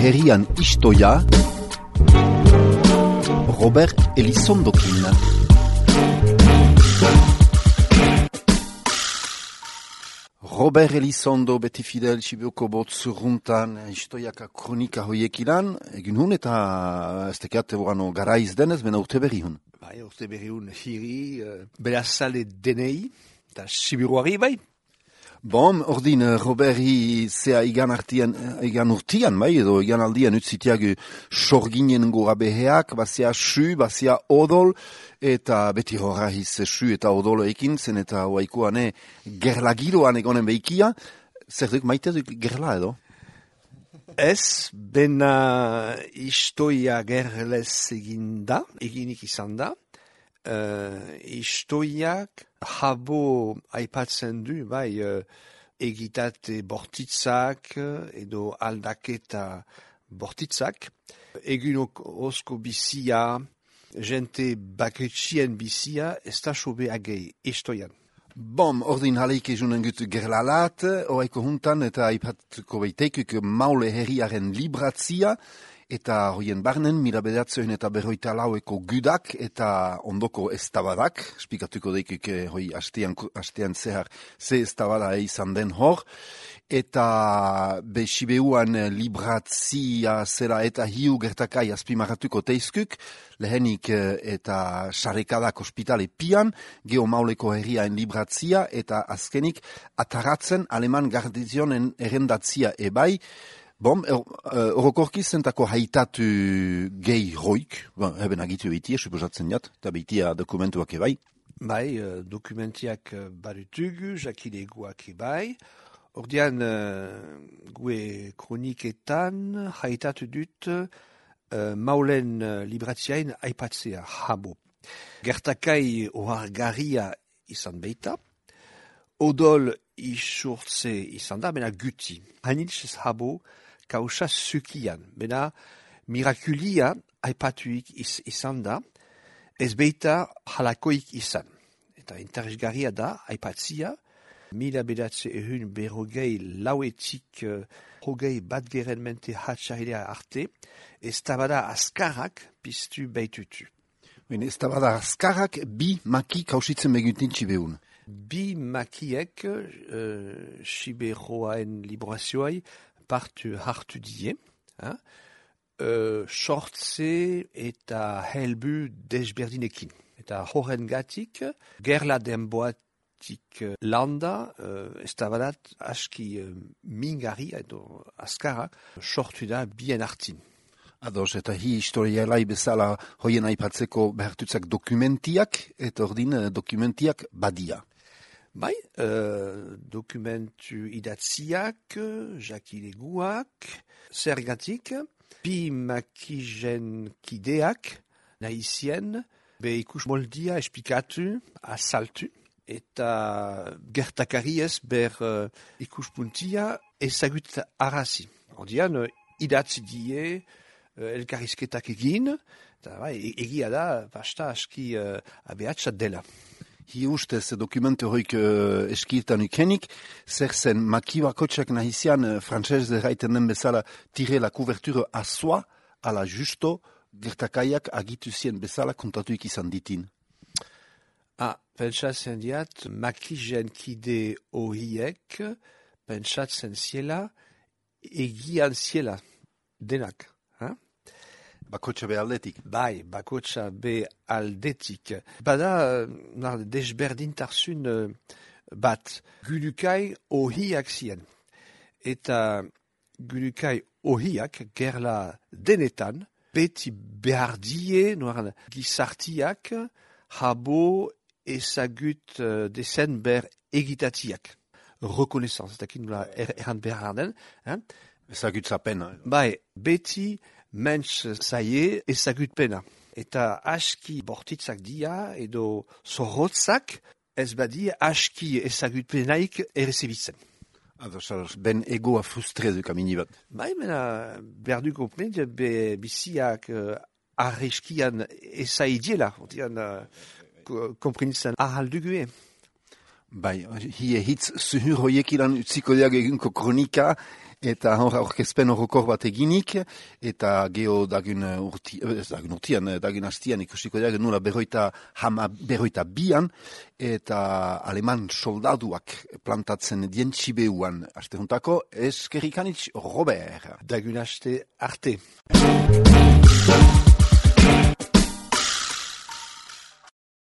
herrian istoia Robert Elizondokin. Robert Elizondo beti fidel Sibioko botzurruntan istoiaka kronika hoiek ilan, egin hun eta ez tekeat borano garaiz denez, bena urte berri hun. Bai, urte berri hun hiri, berazale denei, eta Sibiruari bai. Bom, ordin, Roberti zea igan urtian, bai, edo igan aldian utzitiak sorginen gora beheak, bazia su, bazia odol, eta beti horrahiz su eta odol ekin zen, eta oaikoane gerlagiroan egonen behikia, zer duk maite duk gerla edo? Ez, bena istoia gerlez eginik izan da, istoiak habo aipatzen du, bai, egitate bortitzak edo aldaketa bortitzak, egunok osko bizia, jente baketxien bizia, ez da sobe agei istoian. Bom, ordin haleik ezunen gut gerlalat, oaiko juntan eta aipatuko beiteikuk maule herriaren libratzia, eta hoien barnen, mila bedatzen eta berroita laueko gudak eta ondoko estabadak, esplikatuko deikuk hoi hastean zehar ze estabada izan den hor, eta besibeuan libratzia zera eta hiu gertakai azpimarratuko teizkuk, lehenik eta sarekadak ospitale pian, geomauleko herriaen libratzia, eta azkenik ataratzen aleman gardizionen errendatzia ebai. Bom, orokorki zentako haitatu gehi roik, heben agitu behitia, suposatzen jat, eta behitia dokumentuak ebai. Bai, dokumentiak barutugu, jakileguak ebai. Ordean, gue kroniketan haitatu dut maulen libratziain aipatzea habo. Gertakai ohargarria izan beita, odol isurtze izan da, bena guti. Hainitz habo, kausa zukian, bena mirakulia aipatuik izan da, ez beita halakoik izan. Eta interesgarria da, aipatzia, mila bedatze ehun berrogei lauetik hogei bat geren mente hatxarilea arte, ez tabada azkarrak piztu behitutu. Ez tabada azkarrak bi maki kausitzen begutintzi behun. Bi makiek Siberoaen librazioai partu hartu die, sortze eta helbu desberdinekin. Eta horren gatik, gerla denboatik landa, ez tabadat aski mingarri edo azkara sortu da bien hartin. Ados, eta hi historialai bezala hoien aipatzeko behartutzak dokumentiak, eta ordin dokumentiak badia. Bai, dokumentu idatziak, jakileguak, zergatik, bi makijen kideak, nahizien, be ikus moldia esplikatu, asaltu, eta gertakariez ber ikuspuntia ezagut arazi. Ordean, idatzi die, elkarrizketak egin, eta bai, egia da, basta aski abeatzat dela. Hi ustez dokumente hoik eskiltan ukenik, zer zen makibakotxak nahizian frantzez erraiten den bezala tire la couverture a soi, ala justo gertakaiak agitu zien bezala kontatuik izan ditin. Pentsatzen diat, makijen kide horiek, pentsatzen ziela, egian ziela, denak. Bakotxa be aldetik. Bai, bakotxa be aldetik. Bada, desberdintarzun bat, gulukai ohiak zien. Eta gulukai ohiak gerla denetan, beti behar die, gizartiak, habo ezagut desen ber egitatiak. Rekonesans, eta kinula erran behar den. Ezagut zapen. Bai, beti mentz zaie ezagut pena. Eta aski bortitzak dia edo zorrotzak ez badi aski ezagut penaik errezebitzen. Ados, ben egoa frustrezu kamini bat. Bai, mena berduko plen biziak arreskian ezaidiela. Komprenitzen ahaldugue. Bai, hitz zuhur hoiek ilan utziko diag egunko kronika, eta hor aurkezpen horrokor bat eginik, eta geho dagun hastian ikusiko diag nula berroita bian, eta aleman soldaduak plantatzen dien txibeuan. Aste juntako, eskerrikanitz Robert. Dagun haste arte.